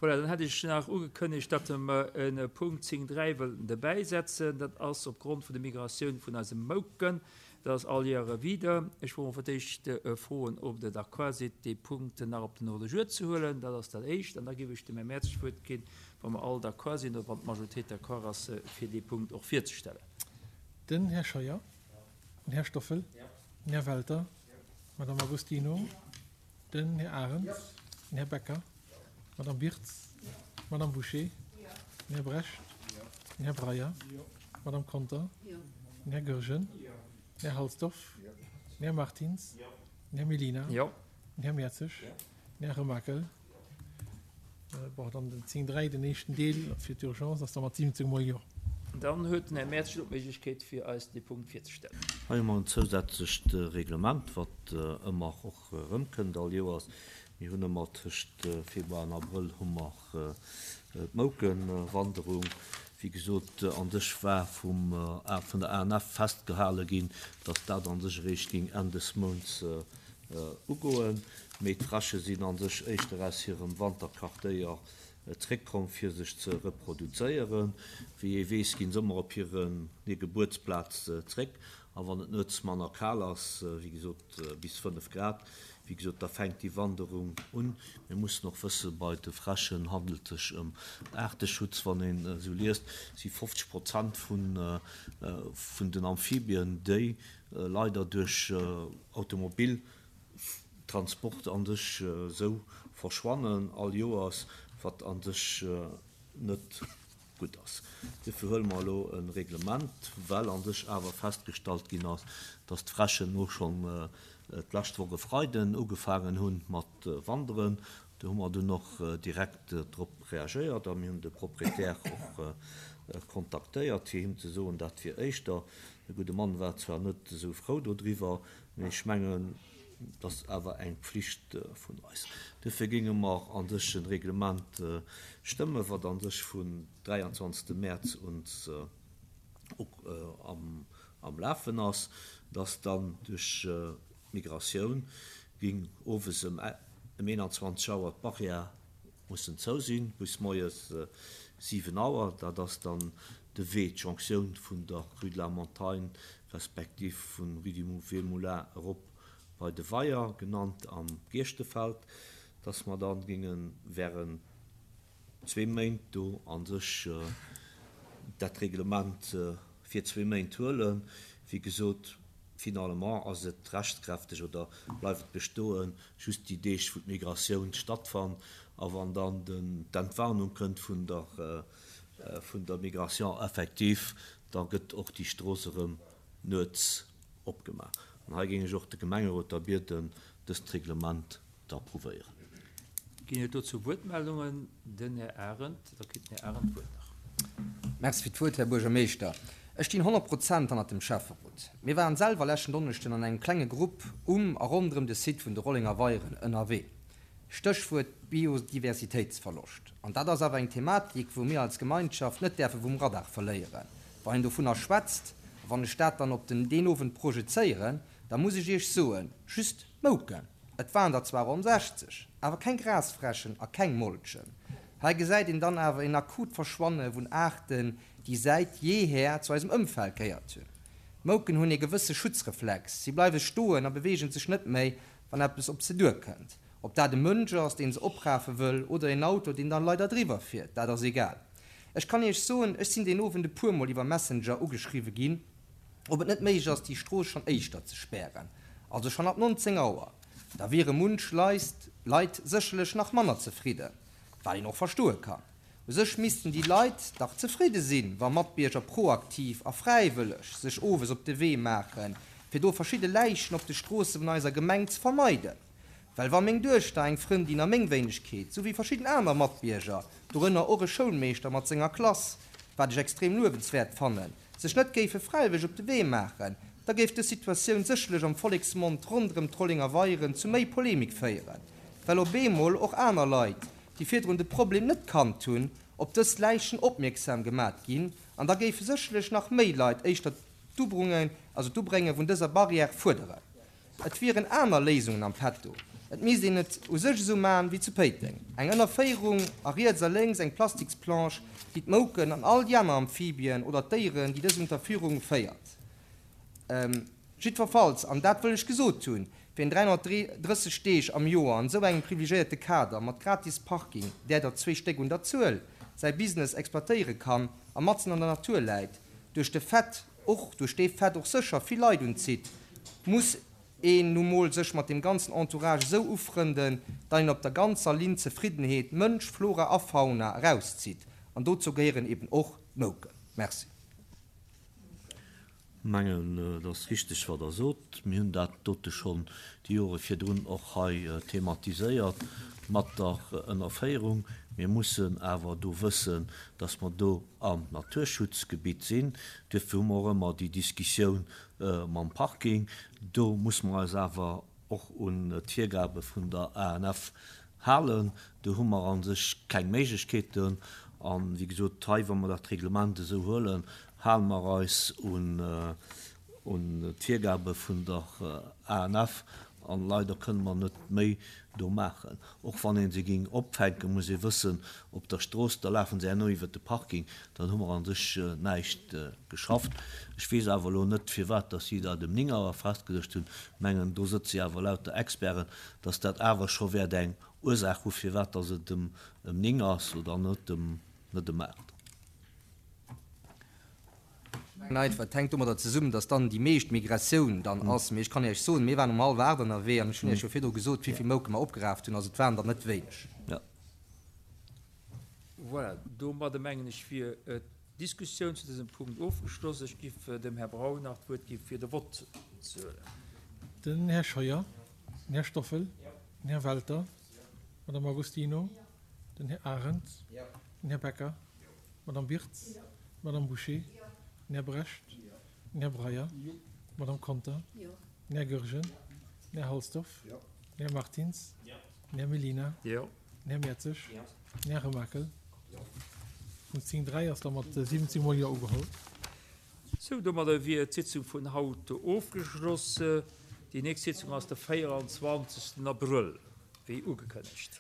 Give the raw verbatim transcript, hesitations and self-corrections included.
Voilà, dann hätt ech nach ugekënnegt, datt mer e Punkt zéng dräi wëllten derbäisetzen. Dat ass opgrond vun der Migratioun vun eise Mouken. Dat ass all Jahre wieder. Ech wollt fir d'éischt froen, ob Der d'accord sidd, dee Punkt nach op den Ordre du jour ze huelen. Dat ass dat Éischt. An da géif ech dem Här Mertz d'Wuert ginn, wa mer all d'accord sinn oder wann d'Majoritéit d'accord ass, fir dee Punkt och virzestellen. Den Här Scheuer. Den Här Stoffel. Den Här Welter. D'Madame Agostino. Den Här Arens. Den Här Becker. D'Madame Wirtz. D'Madame Bouché. Den Här Brecht. Den Här Breyer. D'Madame Conter. Den Här Goergen. Den Här Halsdorf. Den Här Martins. Den Här Mellina. Den Här Mertzig. Den Här Remakel. Bon, dann den zéng dräi, den éischten Deel fir d'Urgence ass da mat siwwenzéng Mol Jo. Dann huet den Här Mertzig elo d'Méiglechkeet, fir eis dee Punkt virzestellen. Hei hu mer en zousätzlecht Reglement, wat ëmmer och erëmkënnt all Joers. Mir hunn ëmmer tëscht Februar an Abrëll hu mer d'Moukewanderung. Wéi gesot, an sech war vum vun der A N F festgehale ginn, datt dat an sech eréischt géing Enn des Mounts ugoen. Mee d'Fräsche sinn an sech éischter aus hirem Wanterquartéier zréckkomm, fir sech ze reproduzéieren. Wéi ee weess, ginn se ëmmer op hiren hir Gebuertsplaz zréck. A wann et nuets manner kal ass, wéi gesot bis fënnef Grad, wéi gesot, da fänkt déi Wanderung un. Mir mussen och wëssen, bei de Fräschen handelt sech ëm Aarteschutz. Wann een esou liest, si fofzeg Prozent vun vun den Amphibien, déi leider duerch Automobiltransport an sech esou verschwannen all Joers, wat an sech net gutt ass. Duerfir huele mer elo e Reglement, well a sech awer festgestallt ginn ass, dass d'Fräschen elo schonn d'lescht Woch e Freiden ugefaangen hu mat wanderen. Do hu mer dunn och direkt drop reagéiert a mir hunn de Proprietär och kontaktéiert, fir him ze soen, dat wier éischter. De gudde Mann war zwar net esou frou dodriwwer, mee ech mengen, dat ass awer eng Pflicht vun eis. Duerfir géinge mer a sech e Reglement stëmmen, wat a sech vun dräianzwanzegste Mäerz un am Lafen ass, dass dann duerch d'Migratioun géing owes ëm eenanzwanzeg Auer d'Barrière mussen zou sinn, bis moies siwen Auer. Dat ass dann de Wee, d'Jonctioun vun der Rue de la Montagne respektiv vun Rue du Vieux Moulin erop bei de Weier, genannt am Gierschtefeld, dass mer dann géinge während zwee Méint do a sech dat Reglement fir zwee Méint huelen. Wéi gesot, finalement ass et rechtskräfteg oder bleift et bestoen, just déi Deeg, wou d'Migratioun stattfannt, a wann dann d'Entwarnung kënnt vun der vun der Migration effective, da gëtt och déi Strooss erëm nuets opgemaach. An hei géing ech och de Gemengerot da bieden, dëst Reglement ze approuvéieren. Ginn et dozou Wuertmeldungen? Den Här Arendt, da kritt den Här Arendt d'Wuert nach. Merci fir d'Wuert, Här Buergermeeschter. Ech stinn honnert Prozent hannert dem Schäfferot. Mir waren selwer leschten Donneschden an engem klenge Grupp um a ronderëm de Site vun de Rollenger Weieren ënnerwee. Stéchwuert Biodiversitéitsverloscht. An dat ass awer eng Thematik, wou mir als Gemeinschaft net däerfe vum Radar verléieren. Wann een dovunner schwätzt, a wann ech dat dann op den deen Owend projezéieren, da muss ech Iech soen, just Mouken. Et waren der zwar ronn sechzeg, awer keng Grasfräschen a keng Molchen. Hei gesäit een dann awer een akut Verschwanne vun Aarten, déi säit jeeher zu eisem Ëmfeld gehéiert hunn. Mouken hunn ee gewësse Schutzreflex, si bleiwe stoen a beweegen sech net méi, wann eppes op se duerkënnt. Ob dat e Mënsch ass, deen se oprafe wëll, oder een Auto, deen dann leider driwwer fiert, dat ass egal. Ech kann Iech soen, ech sinn deen Owend e puermol iwwer Messenger ugeschriwwe ginn, ob et net méiglech ass, déi Strooss schonn éischter ze spären, also schonn ab nonzéng Auer. Da wiere munch Leit sécherlech nach manner zefridden, wat een och verstoe kann. U sech missten déi Leit dach zefridde sinn, wa Matbierger proaktiv a fräiwëlleg sech owes op de Wee maachen, fir do verschidde Läichen op de Stroosse vun eiser Gemeng ze vermeiden. Well wa meng Duechter, eng Frëndin a meng Wéinegkeet, souwéi verschidden aner Matbierger, dorënner och e Schoulmeeschter mat senger Klass, wat ech extrem luewenswäert fannen, sech net géife fräiwëlleg op de Wee maachen, da géif dës Situatioun sécherlech am Volleksmond ronderëm d'Rollenger Weieren zu méi Polemik féieren, well op eemol och aner Leit, déi virdrun de Problem net kannt hunn, op dës Läichen opmierksam gemat ginn, an da géife sécherlech nach méi Leit éischter d'Ubrunge, also d'Ubrénge vun dëser Barrière fuerderen. Et wieren aner Léisungen am Petto. Et misst een et u sech esou maachen wéi zu Péiteng, eng Ënnerféierung a riets a lénks eng Plastiksplanche, déi d'Mouken an all déi aner Amphibien oder d'Déieren, déi dës Unterführung féiert. Jiddwerfalls, an dat wëll ech gesot hunn, wien dräihonnertdrësseg Deeg am Joer an esou engem privilegiéierte Kader mat gratis Parking, där der zwee Stéck un der Zuel, säi Business exploitéiere kann a matzen an der Natur läit, duerch de Fait och duerch dee Fait och sécher vill Leit unzitt, muss een nu mol sech mat deem ganzen Entourage esou ufrënden, datt een op der ganzer Linn Zefriddenheet, Mënsch, Flora a Fauna, erauszitt. An dozou gehéieren eben och d'Mouken. Merci. Mengen, et ass richteg, wat Der sot. Mir hunn dat dote schonn déi Jore virdrun och hei thematiséiert mat der Ënnerféierung. Mir mussen awer do wëssen, dass mer do am Naturschutzgebitt sinn. Duerfir hu mer och ëmmer déi Diskussioun mam Parking. Do muss mer eis awer och un d'Virgabe vun der A N F halen. Do hu mer a sech keng Méiglechkeeten. A wéi gesot, hei, wa mer dat Reglement esou huelen, hale mer eis un d'Virgabe vun der A N F an leider kënne mer net méi do maachen. Och wann ee se géing opfänken, muss ee wëssen, op der Strooss, da lafe se herno iwwert de Parking, dann hu mer a sech näischt geschafft. Ech weess awer elo net, firwat dass si dat ëm néng Auer festgeluecht hunn. Mengen, do sëtze jo awer lauter Experten, dass dat awer scho wäert eng Ursaach hu firwat dass et ëm néng ass oder net ëm net ëm aacht. Ech mengen einfach, et hänkt domadder zesummen, dass dann déi meescht Migratioun dann ass. Mee ech kann Iech soen, mir waren um hallwer aacht ënnerwee an ech hunn Iech jo virdru gesot, wéi vill Mouke mer opgeraaft hunn. Also et waren der net wéineg. Jo. Voilà, domadder mengen ech wier d'Diskussioun zu dësem Punkt ofgeschloss. Ech giff dem Här Braun nach d'Wuert gi fir de Vott ze huelen. Den Här Scheuer, den Här Stoffel, den Här Welter, d'Madame Agostino, den Här Arendt, den Här Becker, d'Madame Birtz, d'Madame Bouché, den Här Brecht, den Här Breyer, d'Madame Conter, den Här Goergen, den Här Halsdorf, den Här Martins, den Här Mellina, den Här Mertzig, den Här Remakel. Punkt zéng dräi ass da mat siwwenzéng mol Jo ugeholl. Sou, domadder wier d'Sitzung vun haut ofgeschloss. Déi nächst Sitzung ass de véieranzwanzegsten Abrëll, wéi ugekënnegt.